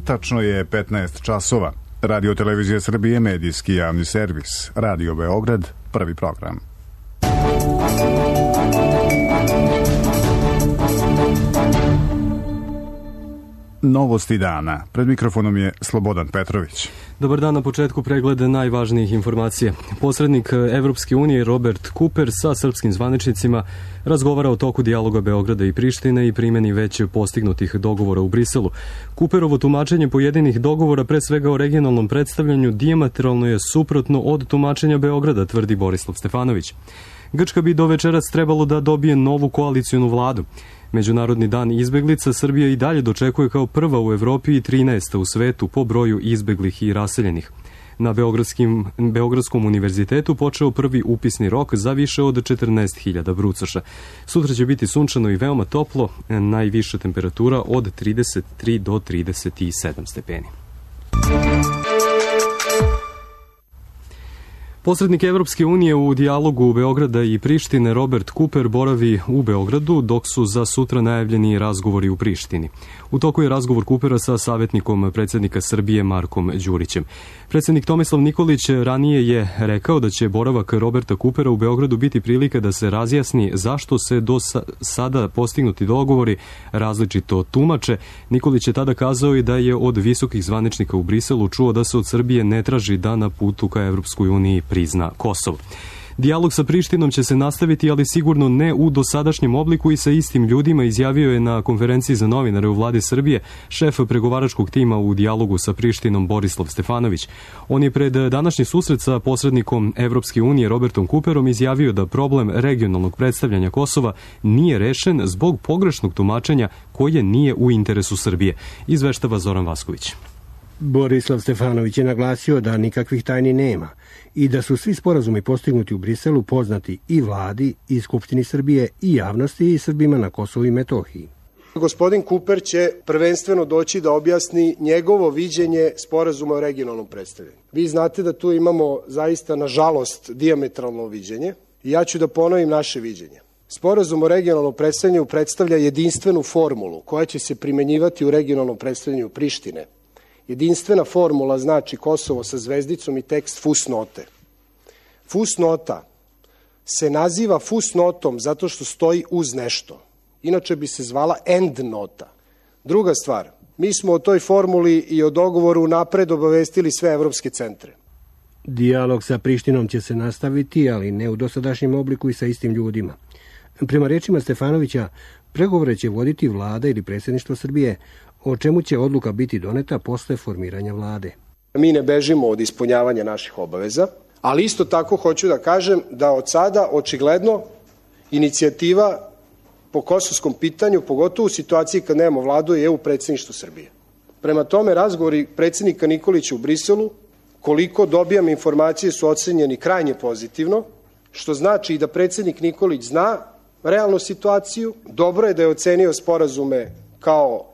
Tačno je 15 časova. Radio Televizija Srbije, medijski javni servis. Radio Beograd, prvi program. Novosti dana. Pred mikrofonom je Slobodan Petrović. Dobar dan, na početku pregleda najvažnijih informacija. Posrednik Evropske unije Robert Cooper sa srpskim zvaničnicima razgovara o toku dijaloga Beograda i Prištine i primjeni već postignutih dogovora u Briselu. Cooperovo tumačenje pojedinih dogovora, pre svega o regionalnom predstavljanju, dijametralno je suprotno od tumačenja Beograda, tvrdi Borislav Stefanović. Grčka bi do večeras trebalo da dobije novu koalicionu vladu. Međunarodni dan izbeglica Srbija i dalje dočekuje kao prva u Evropi i 13. u svetu po broju izbeglih i raseljenih. Na Beogradskom univerzitetu počeo prvi upisni rok za više od 14.000 brucoša. Sutra će biti sunčano i veoma toplo, najviša temperatura od 33 do 37 stepeni. Posrednik Evropske unije u dijalogu Beograda i Prištine Robert Cooper boravi u Beogradu, dok su za sutra najavljeni razgovori u Prištini. U toku je razgovor Coopera sa savjetnikom predsjednika Srbije Markom Đurićem. Predsjednik Tomislav Nikolić ranije je rekao da će boravak Roberta Coopera u Beogradu biti prilika da se razjasni zašto se do sada postignuti dogovori različito tumače. Nikolić je tada kazao i da je od visokih zvaničnika u Briselu čuo da se od Srbije ne traži da na putu ka Evropskoj uniji prizna Kosovo. Dijalog sa Prištinom će se nastaviti, ali sigurno ne u dosadašnjem obliku i sa istim ljudima, izjavio je na konferenciji za novinare u vladi Srbije šef pregovaračkog tima u dijalogu sa Prištinom Borislav Stefanović. On je pred današnji susret sa posrednikom Evropske unije Robertom Cooperom izjavio da problem regionalnog predstavljanja Kosova nije rešen zbog pogrešnog tumačenja koje nije u interesu Srbije. Izveštava Zoran Vasković. Borislav Stefanović je naglasio da nikakvih tajni nema i da su svi sporazumi postignuti u Briselu poznati i vladi, i Skupštini Srbije, i javnosti, i Srbima na Kosovu i Metohiji. Gospodin Cooper će prvenstveno doći da objasni njegovo viđenje sporazuma o regionalnom predstavljanju. Vi znate da tu imamo zaista, nažalost, dijametralno viđenje i ja ću da ponovim naše viđenje. Sporazum o regionalnom predstavljanju predstavlja jedinstvenu formulu koja će se primenjivati u regionalnom predstavljanju Prištine. Jedinstvena formula znači Kosovo sa zvezdicom i tekst fusnote. Fusnota se naziva fusnotom zato što stoji uz nešto. Inače bi se zvala endnota. Druga stvar, mi smo o toj formuli i o dogovoru napred obavestili sve evropske centre. Dijalog sa Prištinom će se nastaviti, ali ne u dosadašnjem obliku i sa istim ljudima. Prema rečima Stefanovića, pregovore će voditi vlada ili predsjedništvo Srbije, o čemu će odluka biti doneta posle formiranja vlade. Mi ne bežimo od ispunjavanja naših obaveza, ali isto tako hoću da kažem da od sada očigledno inicijativa po kosovskom pitanju, pogotovo u situaciji kad nemamo vladu, je u predsjedništvu Srbije. Prema tome, razgovori predsjednika Nikolića u Briselu, koliko dobijam informacije, su ocenjeni krajnje pozitivno, što znači i da predsjednik Nikolić zna realnu situaciju. Dobro je da je ocenio sporazume kao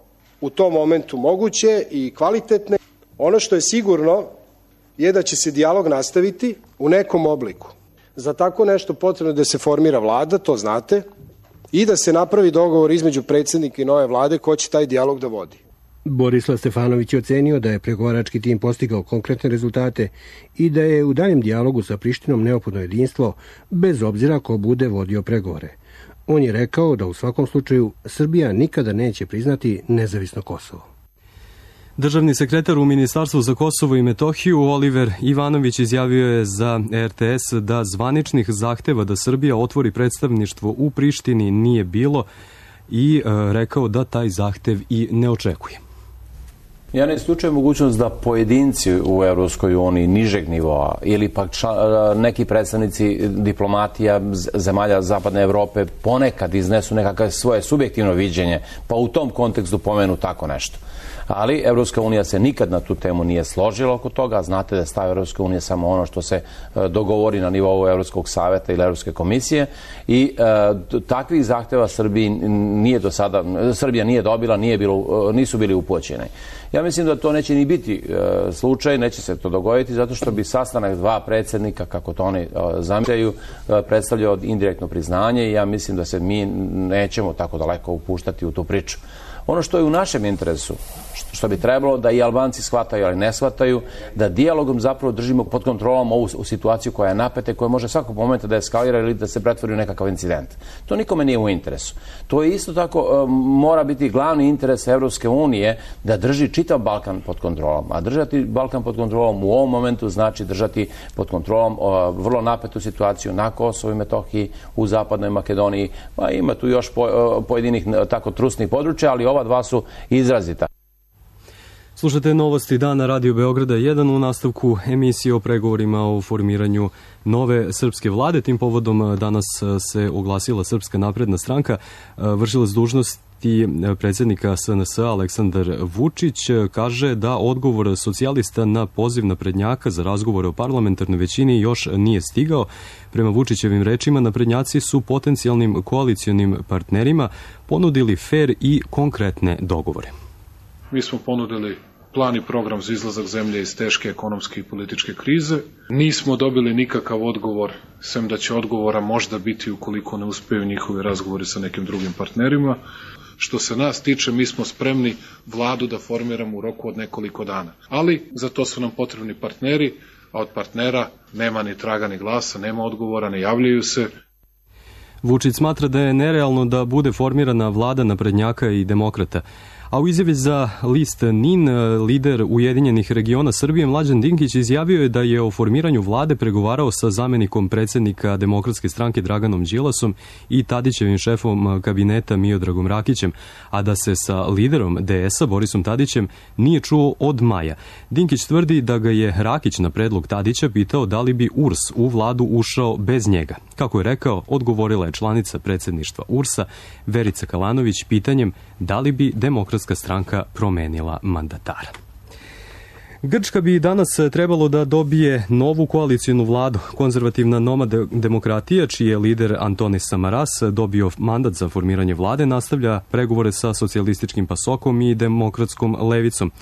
u tom momentu moguće i kvalitetne. Ono što je sigurno je da će se dijalog nastaviti u nekom obliku. Za tako nešto potrebno da se formira vlada, to znate, i da se napravi dogovor između predsjednika i nove vlade ko će taj dijalog da vodi. Borislav Stefanović je ocenio da je pregovarački tim postigao konkretne rezultate i da je u daljem dijalogu sa Prištinom neophodno jedinstvo, bez obzira ko bude vodio pregovore. On je rekao da u svakom slučaju Srbija nikada neće priznati nezavisno Kosovo. Državni sekretar u Ministarstvu za Kosovo i Metohiju Oliver Ivanović izjavio je za RTS da zvaničnih zahteva da Srbija otvori predstavništvo u Prištini nije bilo i rekao da taj zahtev i ne očekuje. Ja ne isključujem mogućnost da pojedinci u Evropskoj uniji nižeg nivoa ili pak neki predstavnici diplomatija zemalja Zapadne Evrope ponekad iznesu nekakve svoje subjektivno viđenje, pa u tom kontekstu pomenu tako nešto. Ali Evropska unija se nikad na tu temu nije složila oko toga. Znate da je stav Evropske unije samo ono što se dogovori na nivou Evropskog saveta ili Evropske komisije i takvih zahteva Srbija nije dobila, nisu bili upućeni. Ja mislim da to neće ni biti slučaj, neće se to dogoditi zato što bi sastanak dva predsjednika, kako to oni zamišljaju, predstavljao indirektno priznanje i ja mislim da se mi nećemo tako daleko upuštati u tu priču. Ono što je u našem interesu, što bi trebalo da i Albanci shvataju, ali ne shvataju, da dijalogom zapravo držimo pod kontrolom ovu situaciju koja je napeta i koja može svakog momenta da eskalira ili da se pretvori u nekakav incident. To nikome nije u interesu. To je isto tako mora biti glavni interes Evropske unije da drži čitav Balkan pod kontrolom. A držati Balkan pod kontrolom u ovom momentu znači držati pod kontrolom vrlo napetu situaciju na Kosovu i Metohiji, u Zapadnoj Makedoniji. Pa ima tu još pojedinih tako trusnih područja, ali ova dva su izrazita. Slušate novosti dana Radio Beograda 1 u nastavku emisije o pregovorima o formiranju nove srpske vlade. Tim povodom danas se oglasila Srpska napredna stranka. Vršilac dužnosti predsjednika SNS Aleksandar Vučić kaže da odgovor socijalista na poziv naprednjaka za razgovore o parlamentarnoj većini još nije stigao. Prema Vučićevim rečima, naprednjaci su potencijalnim koalicionim partnerima ponudili fer i konkretne dogovore. Mi smo ponudili plan i program za izlazak zemlje iz teške ekonomske i političke krize. Nismo dobili nikakav odgovor, sem da će odgovora možda biti ukoliko ne uspeju njihovi razgovori sa nekim drugim partnerima. Što se nas tiče, mi smo spremni vladu da formiramo u roku od nekoliko dana. Ali za to su nam potrebni partneri, a od partnera nema ni traga ni glasa, nema odgovora, ne javljaju se. Vučić smatra da je nerealno da bude formirana vlada naprednjaka i demokrata. A u izjavi za list NIN, lider Ujedinjenih regiona Srbije Mlađan Dinkić izjavio je da je o formiranju vlade pregovarao sa zamenikom predsjednika Demokratske stranke Draganom Đilasom i Tadićevim šefom kabineta Miodragom Rakićem, a da se sa liderom DS-a Borisom Tadićem nije čuo od maja. Dinkić tvrdi da ga je Rakić na predlog Tadića pitao da li bi URS u vladu ušao bez njega. Kako je rekao, odgovorila je članica predsjedništva URS-a Verica Kalanović pitanjem da li bi Demokratska stranka promenila mandatara. Grčka bi danas trebalo da dobije novu koalicijnu vladu. Konzervativna Nova demokratija, čiji je lider Antonis Samaras dobio mandat za formiranje vlade, nastavlja pregovore sa socijalističkim pasokom i demokratskom levicom.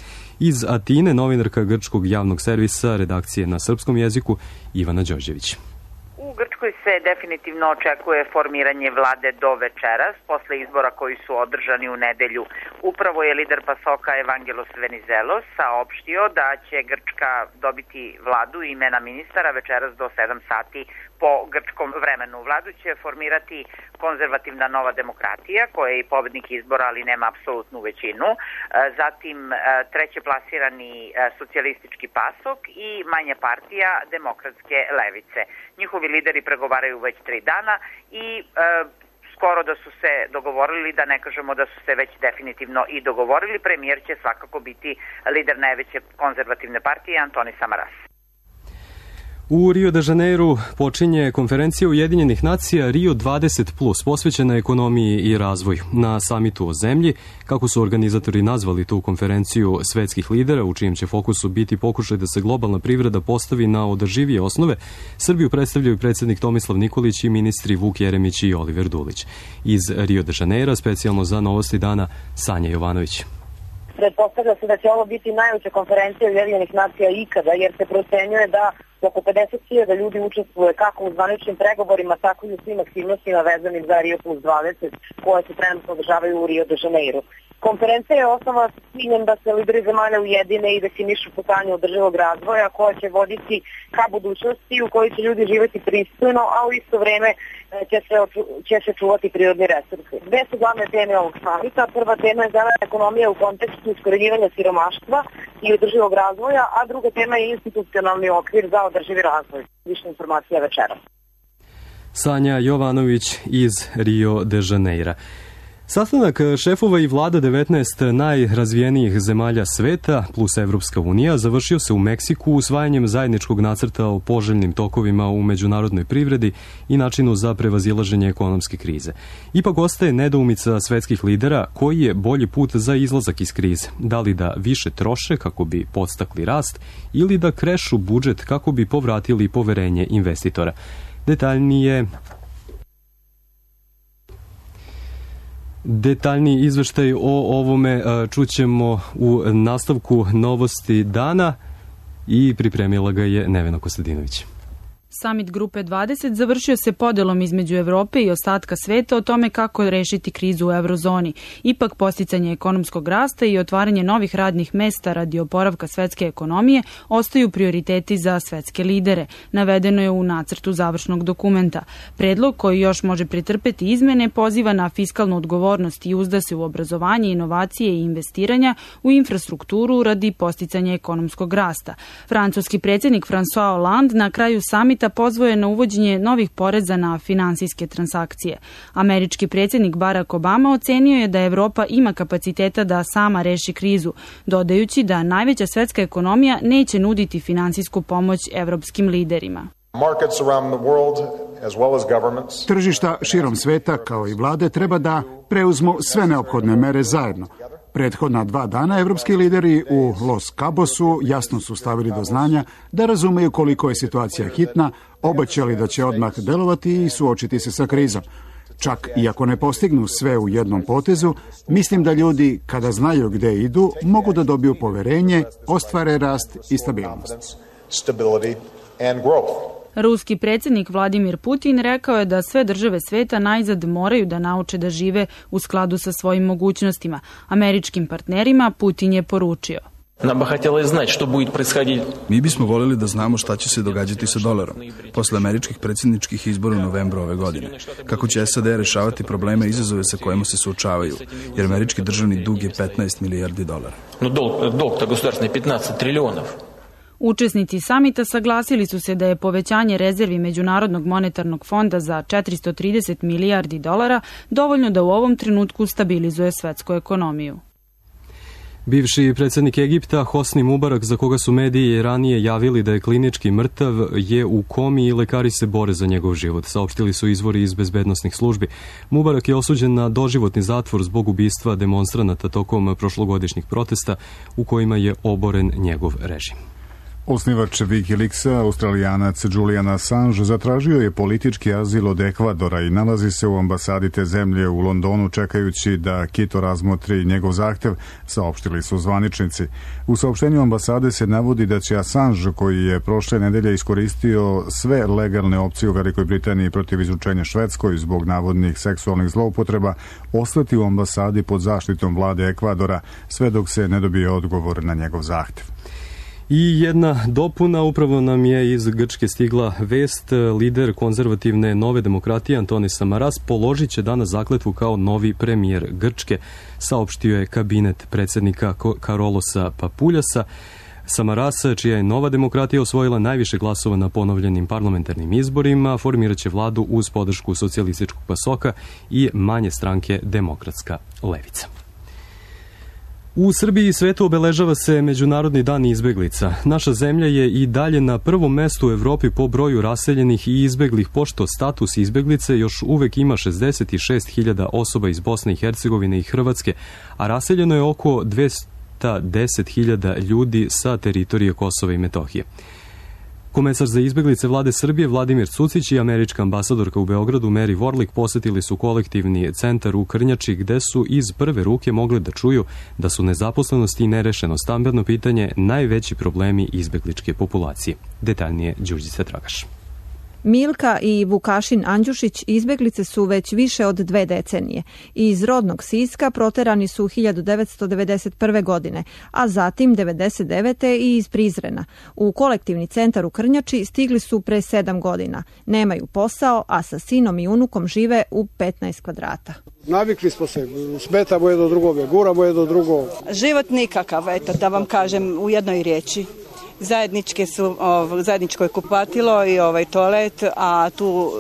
Iz Atine, novinarka grčkog javnog servisa redakcije na srpskom jeziku Ivana Đorđević. U Grčkoj se definitivno očekuje formiranje vlade do večeras, posle izbora koji su održani u nedelju. Upravo je lider PASOK-a Evangelos Venizelos saopštio da će Grčka dobiti vladu i imena ministara večeras do 7 sati po grčkom vremenu. Vladu će formirati konzervativna Nova demokratija, koja je i pobednik izbora, ali nema apsolutnu većinu. Zatim treće plasirani socijalistički PASOK i manja partija Demokratske levice. Njihovi lideri pregovaraju već 3 dana i skoro da su se dogovorili, da ne kažemo da su se već definitivno i dogovorili. Premijer će svakako biti lider najveće konzervativne partije Antonis Samaras. U Rio de Janeiru počinje konferencija Ujedinjenih nacija Rio 20+, posvećena ekonomiji i razvoju. Na samitu o zemlji, kako su organizatori nazvali tu konferenciju svetskih lidera, u čijem će fokusu biti pokušaj da se globalna privreda postavi na održivije osnove, Srbiju predstavljaju predsjednik Tomislav Nikolić i ministri Vuk Jeremić i Oliver Dulić. Iz Rio de Janeira, specijalno za Novosti dana, Sanja Jovanović. Pretpostavlja se da će ovo biti najveća konferencija Ujedinjenih nacija ikada, jer se procenjuje da oko 50.000 ljudi učestvuje kako u zvaničnim pregovorima, tako i u svim aktivnostima vezanim za Rio plus 20, koje se trenutno održavaju u Rio de Janeiru. Konferencija je osnova s ciljem da se lideri zemalja ujedine i definišu putanje održivog razvoja koja će voditi ka budućnosti u kojoj će ljudi živjeti pristojno, a u isto vreme će se čuvati prirodni resursi. Dve su glavne teme ovog samita. Prva tema je zelena ekonomija u kontekstu iskorenjivanja siromaštva i održivog razvoja, a druga tema je institucionalni okvir za održivi razvoj. Više informacija večeras. Sanja Jovanović iz Rio de Janeira. Sastanak šefova i vlada 19 najrazvijenijih zemalja sveta plus Evropska unija završio se u Meksiku usvajanjem zajedničkog nacrta o poželjnim tokovima u međunarodnoj privredi i načinu za prevazilaženje ekonomske krize. Ipak ostaje nedoumica svetskih lidera koji je bolji put za izlazak iz krize. Da li da više troše kako bi podstakli rast ili da krešu budžet kako bi povratili poverenje investitora. Detaljniji izveštaj o ovome čućemo u nastavku Novosti dana i pripremila ga je Nevena Kostadinović. Samit Grupe 20 završio se podelom između Evrope i ostatka sveta o tome kako rešiti krizu u eurozoni. Ipak posticanje ekonomskog rasta i otvaranje novih radnih mesta radi oporavka svetske ekonomije ostaju prioriteti za svetske lidere. Navedeno je u nacrtu završnog dokumenta. Predlog koji još može pretrpeti izmene poziva na fiskalnu odgovornost i uzda se u obrazovanje, inovacije i investiranja u infrastrukturu radi posticanja ekonomskog rasta. Francuski predsjednik François Hollande na kraju samita pozvao je na uvođenje novih poreza na finansijske transakcije. Američki predsjednik Barack Obama ocenio je da Evropa ima kapaciteta da sama reši krizu, dodajući da najveća svetska ekonomija neće nuditi finansijsku pomoć evropskim liderima. Tržišta širom sveta kao i vlade treba da preuzmu sve neophodne mere zajedno. Prethodna 2 dana evropski lideri u Los Cabosu jasno su stavili do znanja da razumeju koliko je situacija hitna, obećali da će odmah delovati i suočiti se sa krizom. Čak i ako ne postignu sve u jednom potezu, mislim da ljudi, kada znaju gde idu, mogu da dobiju poverenje, ostvare rast i stabilnost. Ruski predsjednik Vladimir Putin rekao je da sve države sveta najzad moraju da nauče da žive u skladu sa svojim mogućnostima. Američkim partnerima Putin je poručio: Mi bismo voljeli da znamo šta će se događati sa dolarom posle američkih predsjedničkih izbora u novembru ove godine. Kako će SAD rešavati probleme i izazove sa kojima se suočavaju, jer američki državni dug je 15 milijardi dolara. Učesnici samita saglasili su se da je povećanje rezervi Međunarodnog monetarnog fonda za 430 milijardi dolara dovoljno da u ovom trenutku stabilizuje svetsku ekonomiju. Bivši predsjednik Egipta Hosni Mubarak, za koga su mediji ranije javili da je klinički mrtav, je u komi i lekari se bore za njegov život, saopštili su izvori iz bezbednosnih službi. Mubarak je osuđen na doživotni zatvor zbog ubistva demonstranata tokom prošlogodišnjih protesta u kojima je oboren njegov režim. Osnivač Wikileaksa, Australijanac Julian Assange, zatražio je politički azil od Ekvadora i nalazi se u ambasadi te zemlje u Londonu čekajući da Quito razmotri njegov zahtev, saopštili su zvaničnici. U saopštenju ambasade se navodi da će Assange, koji je prošle nedelje iskoristio sve legalne opcije u Velikoj Britaniji protiv izručenja Švedskoj zbog navodnih seksualnih zloupotreba, ostati u ambasadi pod zaštitom vlade Ekvadora sve dok se ne dobije odgovor na njegov zahtev. I jedna dopuna, upravo nam je iz Grčke stigla vest. Lider konzervativne Nove demokratije Antonis Samaras položit će danas zakletvu kao novi premijer Grčke, saopštio je kabinet predsjednika Karolosa Papuljasa. Samaras, čija je Nova demokratija osvojila najviše glasova na ponovljenim parlamentarnim izborima, formirat će vladu uz podršku socijalističkog PASOK-a i manje stranke Demokratska levica. U Srbiji i svetu obeležava se Međunarodni dan izbeglica. Naša zemlja je i dalje na prvom mestu u Evropi po broju raseljenih i izbeglih, pošto status izbeglice još uvek ima 66.000 osoba iz Bosne i Hercegovine i Hrvatske, a raseljeno je oko 210.000 ljudi sa teritorije Kosova i Metohije. Komesar za izbeglice vlade Srbije Vladimir Cucić i američka ambasadorka u Beogradu Mary Warlick posetili su kolektivni centar u Krnjači, gde su iz prve ruke mogli da čuju da su nezaposlenost i nerešeno stambeno pitanje najveći problemi izbegličke populacije. Detaljnije Đurđica Tragaš. Milka i Vukašin Andjušić izbeglice su već više od 2 decenije. Iz rodnog Siska proterani su 1991. godine, a zatim 1999. i iz Prizrena. U kolektivni centar u Krnjači stigli su pre 7 godina. Nemaju posao, a sa sinom i unukom žive u 15 kvadrata. Navikli smo se, smetamo jedno drugoga, guramo jedno drugo. Život nikakav, eto, da vam kažem u jednoj riječi. Zajedničko je kupatilo i toalet, a tu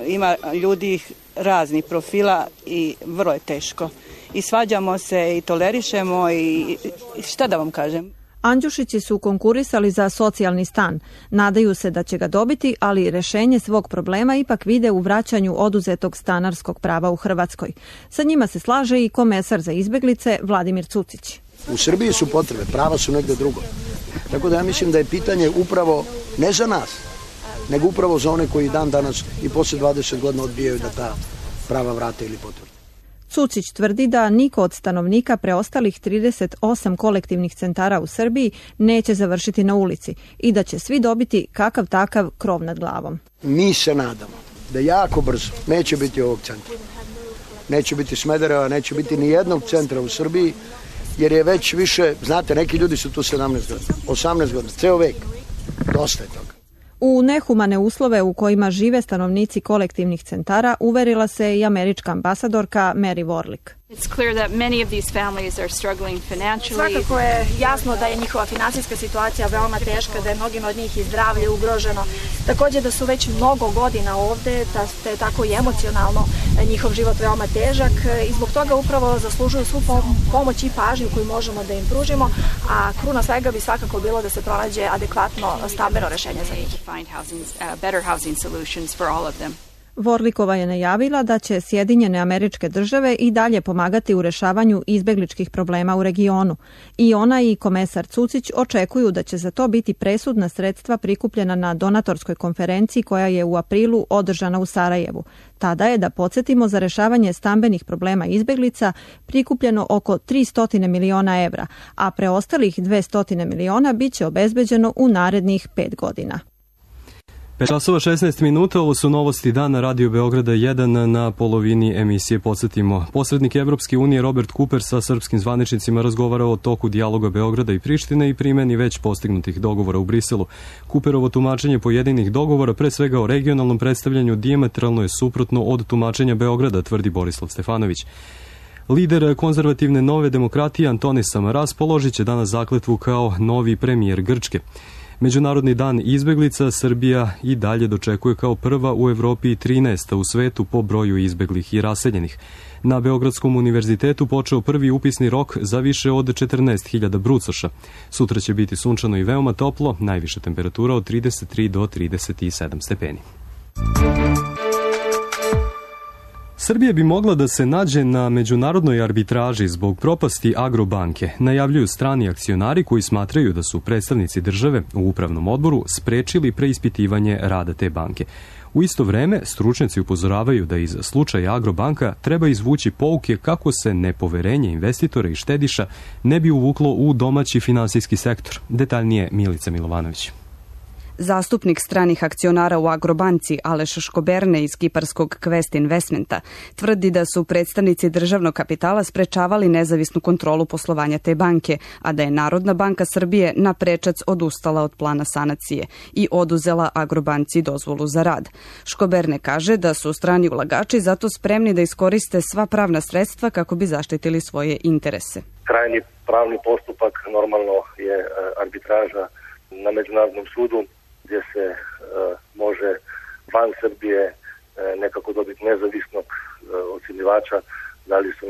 ima ljudi raznih profila i vrlo je teško. I svađamo se i tolerišemo i šta da vam kažem. Andjušići su konkurisali za socijalni stan. Nadaju se da će ga dobiti, ali rešenje svog problema ipak vide u vraćanju oduzetog stanarskog prava u Hrvatskoj. Sa njima se slaže i komesar za izbeglice Vladimir Cucić. U Srbiji su potrebe, prava su negde drugo. Tako da ja mislim da je pitanje upravo ne za nas, nego upravo za one koji dan danas i posle 20 godina odbijaju da ta prava vrate ili potvrde. Cucić tvrdi da niko od stanovnika preostalih 38 kolektivnih centara u Srbiji neće završiti na ulici i da će svi dobiti kakav takav krov nad glavom. Mi se nadamo da jako brzo neće biti ovog centra. Neće biti Smedereva, neće biti ni jednog centra u Srbiji, jer je već više, znate, neki ljudi su tu 17 godina, 18 godina, ceo vek. Dosta je toga. U nehumane uslove u kojima žive stanovnici kolektivnih centara uverila se i američka ambasadorka Mary Warlick. Svakako je jasno da je njihova finansijska situacija veoma teška, da je mnogima od njih i zdravlje ugroženo. Također da su već mnogo godina ovde, da je tako i emocionalno njihov život veoma težak i zbog toga upravo zaslužuju svu pomoć i pažnju koju možemo da im pružimo, a kruna svega bi svakako bilo da se pronađe adekvatno stambeno rešenje za njih. Vorlikova je najavila da će Sjedinjene Američke Države i dalje pomagati u rešavanju izbegličkih problema u regionu. I ona i komesar Cucić očekuju da će za to biti presudna sredstva prikupljena na donatorskoj konferenciji koja je u aprilu održana u Sarajevu. Tada je, da podsjetimo, za rešavanje stambenih problema izbeglica prikupljeno oko 300 miliona evra, a preostalih 200 miliona bit će obezbeđeno u narednih 5 godina. 5:16, ovo su novosti dana Radio Beograda 1 na polovini emisije. Podsjetimo, posrednik Evropske unije Robert Cooper sa srpskim zvaničnicima razgovarao o toku dijaloga Beograda i Prištine i primjeni već postignutih dogovora u Briselu. Cooperovo tumačenje pojedinih dogovora, pre svega o regionalnom predstavljanju, dijametralno je suprotno od tumačenja Beograda, tvrdi Borislav Stefanović. Lider konzervativne Nove demokratije Antonis Samaras položit će danas zakletvu kao novi premijer Grčke. Međunarodni dan izbeglica Srbija i dalje dočekuje kao prva u Evropi i 13. u svetu po broju izbeglih i raseljenih. Na Beogradskom univerzitetu počeo prvi upisni rok za više od 14.000 brucoša. Sutra će biti sunčano i veoma toplo, najviša temperatura od 33 do 37 stepeni. Srbija bi mogla da se nađe na međunarodnoj arbitraži zbog propasti Agrobanke, najavljuju strani akcionari koji smatraju da su predstavnici države u upravnom odboru sprečili preispitivanje rada te banke. U isto vreme, stručnjaci upozoravaju da iz slučaja Agrobanka treba izvući pouke kako se nepoverenje investitora i štediša ne bi uvuklo u domaći finansijski sektor. Detaljnije Milica Milovanović. Zastupnik stranih akcionara u Agrobanci Aleš Škoberne iz kiparskog Quest Investmenta tvrdi da su predstavnici državnog kapitala sprečavali nezavisnu kontrolu poslovanja te banke, a da je Narodna banka Srbije na prečac odustala od plana sanacije i oduzela Agrobanci dozvolu za rad. Škoberne kaže da su strani ulagači zato spremni da iskoriste sva pravna sredstva kako bi zaštitili svoje interese. Krajnji pravni postupak normalno je arbitraža na Međunarodnom sudu, gdje se može van Srbije nekako dobiti nezavisnog ocjenjivača da li su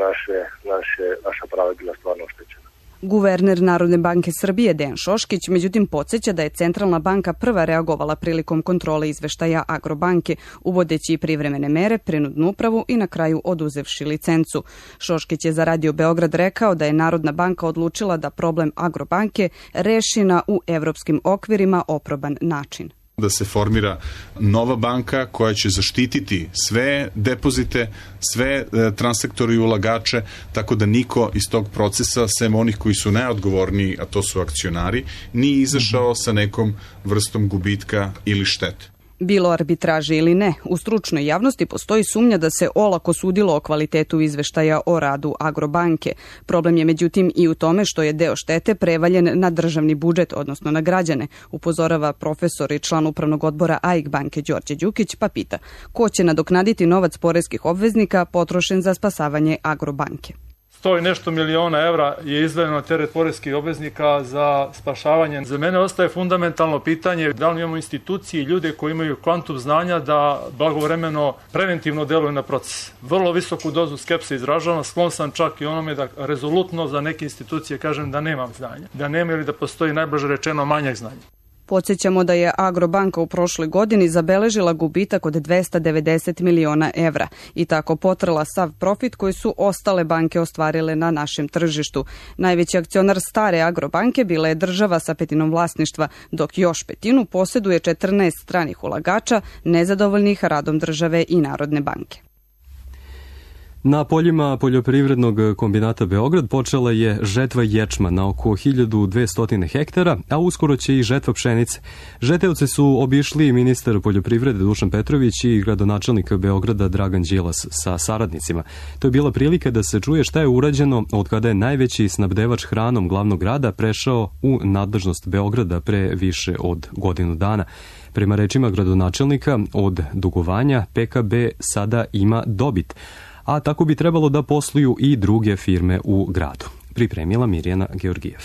naša prava bila stvarno oštećena. Guverner Narodne banke Srbije Dejan Šoškić međutim podsjeća da je Centralna banka prva reagovala prilikom kontrole izveštaja Agrobanke, uvodeći privremene mere, prinudnu upravu i na kraju oduzevši licencu. Šoškić je za Radio Beograd rekao da je Narodna banka odlučila da problem Agrobanke reši na u evropskim okvirima oproban način. Da se formira nova banka koja će zaštititi sve depozite, sve transaktore i ulagače, tako da niko iz tog procesa, sem onih koji su najodgovorniji, a to su akcionari, nije izašao sa nekom vrstom gubitka ili štete. Bilo arbitraže ili ne, u stručnoj javnosti postoji sumnja da se olako sudilo o kvalitetu izveštaja o radu Agrobanke. Problem je međutim i u tome što je deo štete prevaljen na državni budžet, odnosno na građane, upozorava profesor i član upravnog odbora AIK banke Đorđe Đukić, pa pita ko će nadoknaditi novac poreskih obveznika potrošen za spasavanje Agrobanke. 100 i nešto miliona evra je izdvojeno na teret poreskih obveznika za spašavanje. Za mene ostaje fundamentalno pitanje da li imamo institucije i ljude koji imaju kvantum znanja da blagovremeno preventivno deluju na proces. Vrlo visoku dozu skepse izražavam, sklon sam čak i onome da rezolutno za neke institucije kažem da nemam znanja. Da nema ili da postoji najbliže rečeno manjak znanja. Podsjećamo da je Agrobanka u prošloj godini zabeležila gubitak od 290 miliona evra i tako potrla sav profit koji su ostale banke ostvarile na našem tržištu. Najveći akcionar stare Agrobanke bila je država sa petinom vlasništva, dok još petinu posjeduje 14 stranih ulagača nezadovoljnih radom države i Narodne banke. Na poljima poljoprivrednog kombinata Beograd počela je žetva ječma na oko 1200 hektara, a uskoro će i žetva pšenice. Žeteoce su obišli ministar poljoprivrede Dušan Petrović i gradonačelnik Beograda Dragan Đilas sa saradnicima. To je bila prilika da se čuje šta je urađeno od kada je najveći snabdevač hranom glavnog grada prešao u nadležnost Beograda pre više od godinu dana. Prema rečima gradonačelnika, od dugovanja PKB sada ima dobit, a tako bi trebalo da posluju i druge firme u gradu. Pripremila Mirjana Georgijev.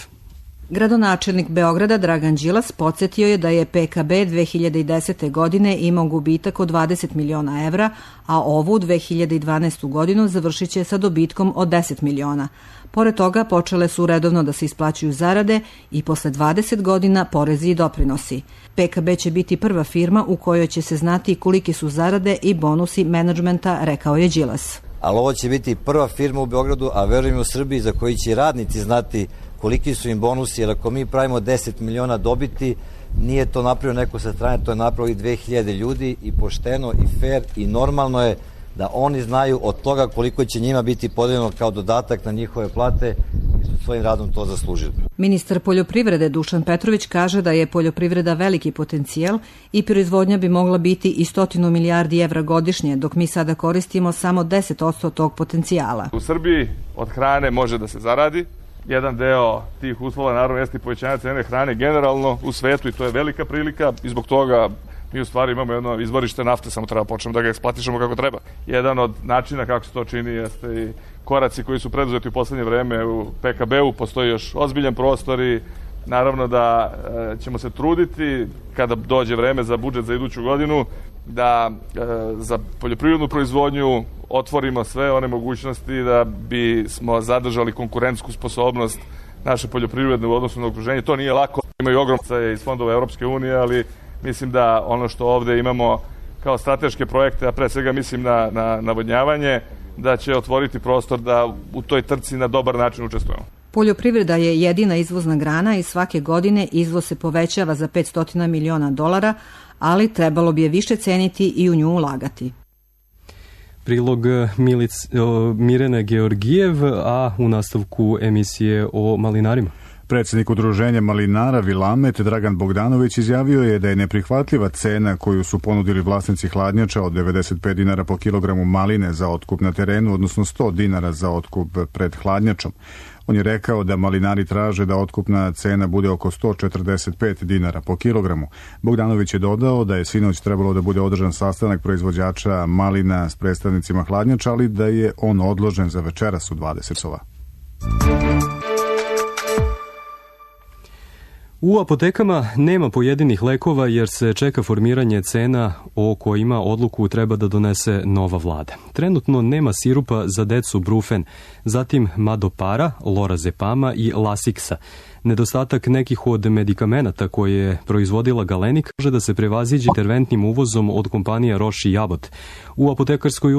Gradonačelnik Beograda Dragan Đilas podsjetio je da je PKB 2010. godine imao gubitak od 20 miliona evra, a ovu 2012. godinu završit će sa dobitkom od 10 miliona. Pored toga počele su redovno da se isplaćuju zarade i posle 20 godina porezi i doprinosi. PKB će biti prva firma u kojoj će se znati koliki su zarade i bonusi menadžmenta, rekao je Đilas. Ali ovo će biti prva firma u Beogradu, a verujem u Srbiji, za koji će radnici znati koliki su im bonusi, jer ako mi pravimo 10 miliona dobiti, nije to napravio neko sa strane, to je napravio i 2000 ljudi i pošteno i fair i normalno je da oni znaju od toga koliko će njima biti podeljeno kao dodatak na njihove plate i su svojim radom to zaslužili. Ministar poljoprivrede Dušan Petrović kaže da je poljoprivreda veliki potencijal i proizvodnja bi mogla biti i 100 milijardi evra godišnje, dok mi sada koristimo samo 10% tog potencijala. U Srbiji od hrane može da se zaradi. Jedan deo tih uslova naravno jeste i povećanje cene hrane generalno u svetu i to je velika prilika i zbog toga mi u stvari imamo jedno izvorište nafte, samo treba počnemo da ga eksploatišemo kako treba. Jedan od načina kako se to čini jeste i koraci koji su preduzeti u poslednje vreme u PKB-u, postoji još ozbiljan prostor i naravno da ćemo se truditi kada dođe vreme za budžet za iduću godinu da za poljoprivrednu proizvodnju otvorimo sve one mogućnosti da bi smo zadržali konkurentsku sposobnost naše poljoprivredne u odnosu na okruženje. To nije lako, imaju ogromne iz fondova Europske unije, ali mislim da ono što ovde imamo kao strateške projekte, a pre svega mislim na navodnjavanje, da će otvoriti prostor da u toj trci na dobar način učestvujemo. Poljoprivreda je jedina izvozna grana i svake godine izvoz se povećava za 500 miliona dolara, ali trebalo bi je više ceniti i u nju ulagati. Prilog Mirjane Georgijev, a u nastavku emisije o malinarima. Predsjednik udruženja malinara Vilamet Dragan Bogdanović izjavio je da je neprihvatljiva cena koju su ponudili vlasnici hladnjača od 95 dinara po kilogramu maline za otkup na terenu, odnosno 100 dinara za otkup pred hladnjačom. On je rekao da malinari traže da otkupna cena bude oko 145 dinara po kilogramu. Bogdanović je dodao da je sinoć trebalo da bude održan sastanak proizvođača malina s predstavnicima hladnjača, ali da je on odložen za večeras u 20 sova. U apotekama nema pojedinih lekova jer se čeka formiranje cena o kojima odluku treba da donese nova vlada. Trenutno nema sirupa za decu Brufen, zatim Madopara, Lorazepama i Lasiksa. Nedostatak nekih od medikamenata koje je proizvodila Galenik može da se prevaziđe interventnim uvozom od kompanija Roche i Jabot. U apotekarskoj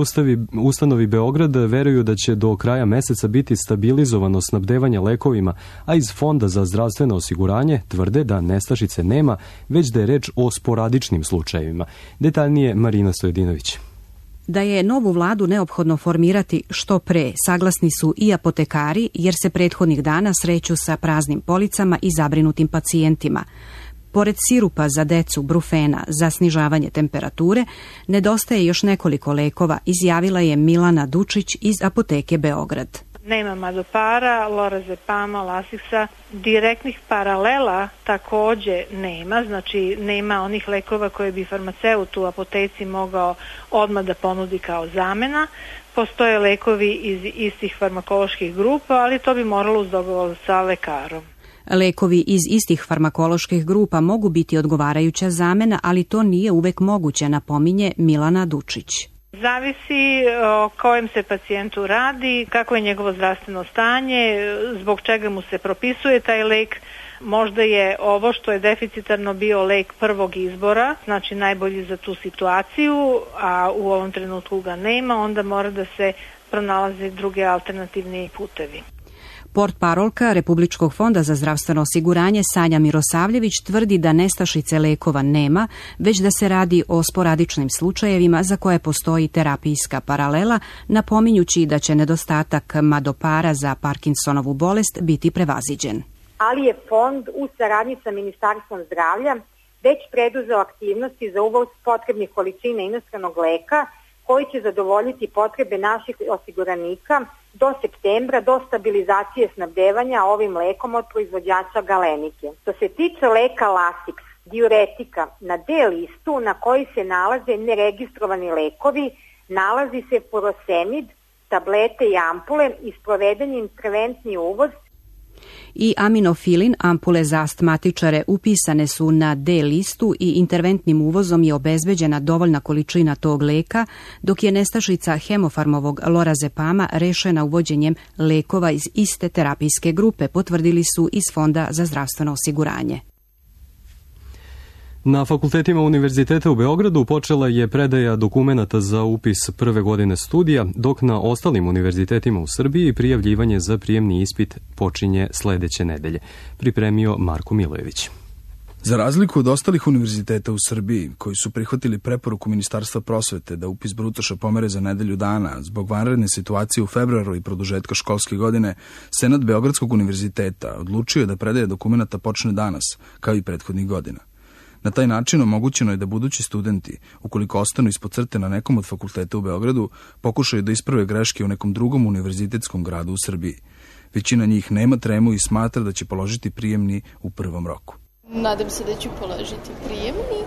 ustanovi Beograd veruju da će do kraja meseca biti stabilizovano snabdevanje lekovima, a iz Fonda za zdravstveno osiguranje tvrde da nestašice nema, već da je reč o sporadičnim slučajevima. Detaljnije Marina Stojedinović. Da je novu vladu neophodno formirati što pre, saglasni su i apotekari, jer se prethodnih dana sreću sa praznim policama i zabrinutim pacijentima. Pored sirupa za decu Brufena za snižavanje temperature, nedostaje još nekoliko lekova, izjavila je Milana Dučić iz apoteke Beograd. Nema Madopara, Lorazepama, Lasiksa, direktnih paralela takođe nema, znači nema onih lekova koje bi farmaceut u apoteci mogao odmah da ponudi kao zamena. Postoje lekovi iz istih farmakoloških grupa, ali to bi moralo uz dogovor sa lekarom. Lekovi iz istih farmakoloških grupa mogu biti odgovarajuća zamena, ali to nije uvek moguće, napominje Milana Dučić. Zavisi o kojem se pacijentu radi, kako je njegovo zdravstveno stanje, zbog čega mu se propisuje taj lek. Možda je ovo što je deficitarno bio lek prvog izbora, znači najbolji za tu situaciju, a u ovom trenutku ga nema, onda mora da se pronalaze druge alternativni putevi. Portparolka Republičkog fonda za zdravstveno osiguranje Sanja Mirosavljević tvrdi da nestašice lekova nema, već da se radi o sporadičnim slučajevima za koje postoji terapijska paralela, napominjući da će nedostatak madopara za Parkinsonovu bolest biti prevaziđen. Ali je fond u saradnji sa Ministarstvom zdravlja već preduzeo aktivnosti za uvoz potrebnih količina inostranog leka koji će zadovoljiti potrebe naših osiguranika do septembra, do stabilizacije snabdevanja ovim lekom od proizvođača Galenike. Što se tiče leka Lasix, diuretika, na D listu na koji se nalaze neregistrovani lekovi, nalazi se furosemid, tablete i ampule i sproveden je interventni uvoz. I aminofilin, ampule za astmatičare, upisane su na D listu i interventnim uvozom je obezbeđena dovoljna količina tog leka, dok je nestašica hemofarmovog lorazepama rešena uvođenjem lekova iz iste terapijske grupe, potvrdili su iz Fonda za zdravstveno osiguranje. Na fakultetima Univerziteta u Beogradu počela je predaja dokumenata za upis prve godine studija, dok na ostalim univerzitetima u Srbiji prijavljivanje za prijemni ispit počinje sledeće nedelje. Pripremio Marko Milojević. Za razliku od ostalih univerziteta u Srbiji, koji su prihvatili preporuku Ministarstva prosvete da upis brutoša pomere za nedelju dana zbog vanredne situacije u februaru i produžetka školske godine, Senat Beogradskog univerziteta odlučio je da predaja dokumenata počne danas, kao i prethodnih godina. Na taj način omogućeno je da budući studenti, ukoliko ostanu ispod crte na nekom od fakulteta u Beogradu, pokušaju da isprave greške u nekom drugom univerzitetskom gradu u Srbiji. Većina njih nema tremu i smatra da će položiti prijemni u prvom roku. Nadam se da ću položiti prijemni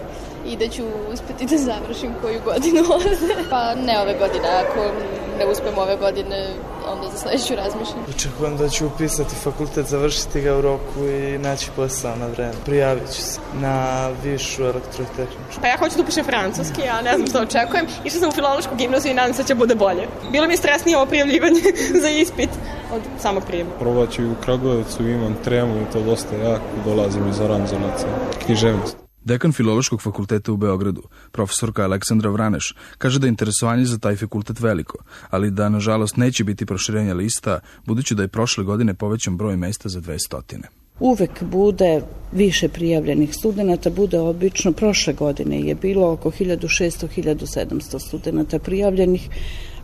i da ću uspeti da završim koju godinu ovde. Pa ne ove godine, ako ne uspem ove godine, onda za sledeću razmišljam. Očekujem da ću upisati fakultet, završiti ga u roku i naći posao na vreme. Prijavit ću se na višu elektrotehničku. Pa ja hoću da upišem francuski, ja ne znam što očekujem. Išla sam u filološku gimnaziju i nadam se da će bude bolje. Bilo mi je stresnije ovo prijavljivanje za ispit od samog prijema. Probat ću u Kragujevcu, imam tremu i to dosta jako, dolazim iz Aranđelovca, književnost. Dekan Filološkog fakulteta u Beogradu, profesorka Aleksandra Vraneš, kaže da je interesovanje za taj fakultet veliko, ali da, nažalost, neće biti proširenja lista, budući da je prošle godine povećan broj mesta za 200. Uvek bude više prijavljenih studenta, bude obično, prošle godine je bilo oko 1600-1700 studenta prijavljenih,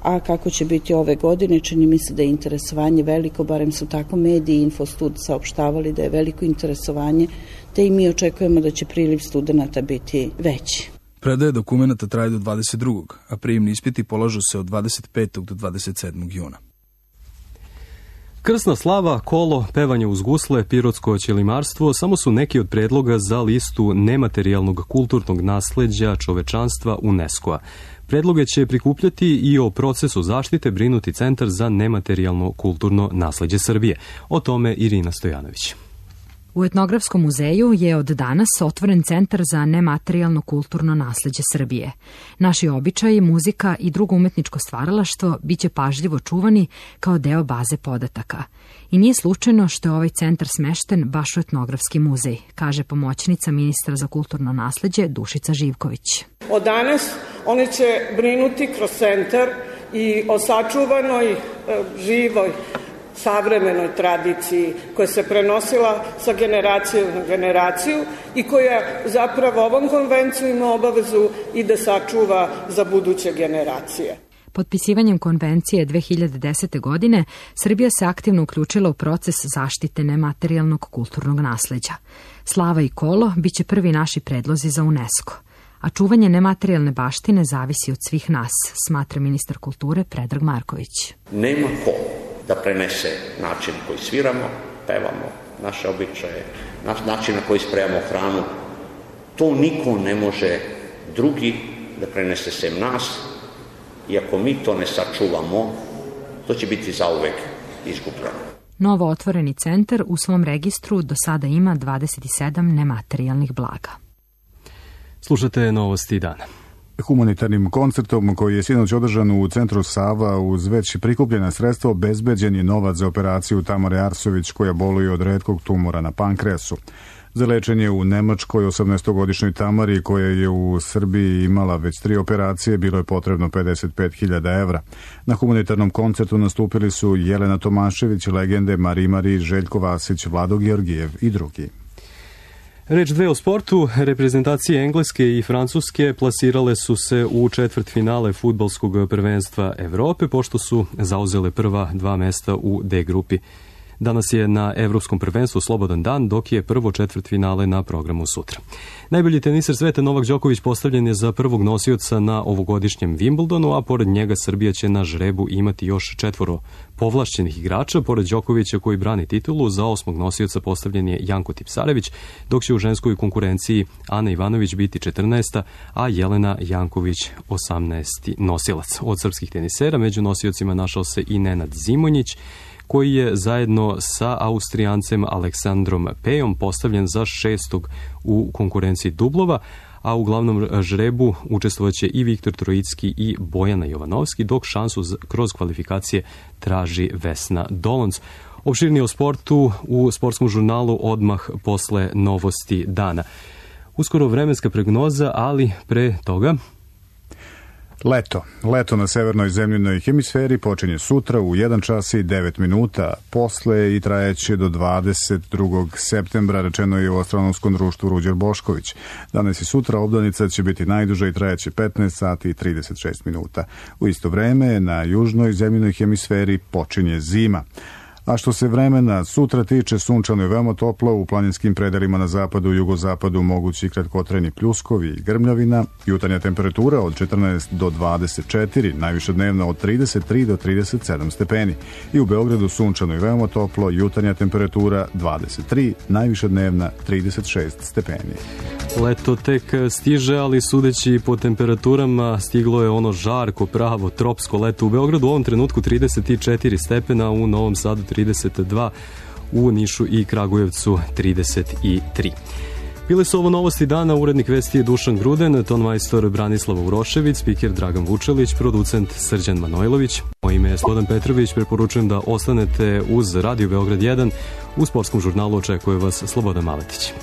a kako će biti ove godine, čini mi se da je interesovanje veliko, barem su tako mediji i Infostud saopštavali da je veliko interesovanje, te i mi očekujemo da će priliv studenta biti veći. Predaje dokumenta traje do 22. a prijemni ispiti polažu se od 25. do 27. juna. Krsna slava, kolo, pevanje uz gusle, pirotsko ćelimarstvo samo su neki od predloga za listu nematerijalnog kulturnog nasleđa čovečanstva UNESCO-a. Predloge će prikupljati i o procesu zaštite brinuti Centar za nematerijalno kulturno nasleđe Srbije. O tome Irina Stojanović. U Etnografskom muzeju je od danas otvoren Centar za nematerijalno kulturno nasleđe Srbije. Naši običaji, muzika i drugo umetničko stvaralaštvo biće pažljivo čuvani kao deo baze podataka. I nije slučajno što je ovaj centar smešten baš u Etnografski muzej, kaže pomoćnica ministra za kulturno nasleđe Dušica Živković. Od danas oni će brinuti kroz centar i o sačuvanoj, živoj, savremenoj tradiciji koja se prenosila sa generacije na generaciju i koja zapravo ovom konvencijom ima obavezu i da sačuva za buduće generacije. Potpisivanjem konvencije 2010. godine Srbija se aktivno uključila u proces zaštite nematerijalnog kulturnog nasleđa. Slava i kolo biće prvi naši predlozi za UNESCO. A čuvanje nematerijalne baštine zavisi od svih nas, smatra ministar kulture Predrag Marković. Nema ko da prenese način koji sviramo, pevamo, naše običaje, način na koji spremamo hranu. To niko ne može drugi da prenese sem nas i ako mi to ne sačuvamo, to će biti zauvek izgubljeno. Novo otvoreni centar u svom registru do sada ima 27 nematerijalnih blaga. Slušate novosti dana. Humanitarnim koncertom koji je sinoć održan u centru Sava uz već prikupljena sredstva obezbeđen je novac za operaciju Tamare Arsović koja boluje od retkog tumora na pankreasu. Za lečenje u Nemačkoj 18-godišnjoj Tamari, koja je u Srbiji imala već 3 operacije, bilo je potrebno 55.000 evra. Na humanitarnom koncertu nastupili su Jelena Tomašević, legende Mari, Željko Vasić, Vlado Georgijev i drugi. Reč dve o sportu. Reprezentacije Engleske i Francuske plasirale su se u četvrtfinale fudbalskog prvenstva Evrope, pošto su zauzele prva 2 mesta u D grupi. Danas je na Evropskom prvenstvu slobodan dan, dok je prvo četvrtfinale na programu sutra. Najbolji teniser sveta Novak Đoković postavljen je za prvog nosioca na ovogodišnjem Wimbledonu, a pored njega Srbija će na žrebu imati još 4 povlašćenih igrača. Pored Đokovića koji brani titulu, za 8. nosioca postavljen je Janko Tipsarević, dok će u ženskoj konkurenciji Ana Ivanović biti 14. a Jelena Janković 18. nosilac. Od srpskih tenisera među nosiocima našao se i Nenad Zimonjić, koji je zajedno sa Austrijancem Aleksandrom Pejom postavljen za 6. u konkurenciji dublova, a u glavnom žrebu učestvovaće i Viktor Trojicki i Bojana Jovanovski, dok šansu kroz kvalifikacije traži Vesna Dolonc. Opširnije o sportu u sportskom žurnalu odmah posle novosti dana. Uskoro vremenska prognoza, ali pre toga... Leto na severnoj zemljinoj hemisferi počinje sutra u 1 čas i 9 minuta posle i trajeće do 22. septembra, rečeno je u astronomskom društvu Ruđer Bošković. Danas i sutra obdanica će biti najduža i trajeće 15 sati i 36 minuta. U isto vreme na južnoj zemljinoj hemisferi počinje zima. A što se vremena sutra tiče, sunčano je veoma toplo, u planinskim predelima na zapadu i jugozapadu mogući kratkotrajni pljuskovi i grmljavina, jutarnja temperatura od 14 do 24, najviša dnevna od 33 do 37 stepeni. I u Beogradu sunčano je veoma toplo, jutarnja temperatura 23, najviša dnevna 36 stepeni. Leto tek stiže, ali sudeći po temperaturama stiglo je ono žarko, pravo, tropsko leto. U Beogradu u ovom trenutku 34 stepena, u Novom Sadu 32, u Nišu i Kragujevcu 33. Bile su ovo novosti dana, urednik vesti je Dušan Gruden, tonmajstor Branislav Urošević, spiker Dragan Vučelić, producent Srđan Manojlović. Moje ime je Slobodan Petrović, preporučujem da ostanete uz Radio Beograd 1. U sportskom žurnalu očekuje vas Slobodan Maletić.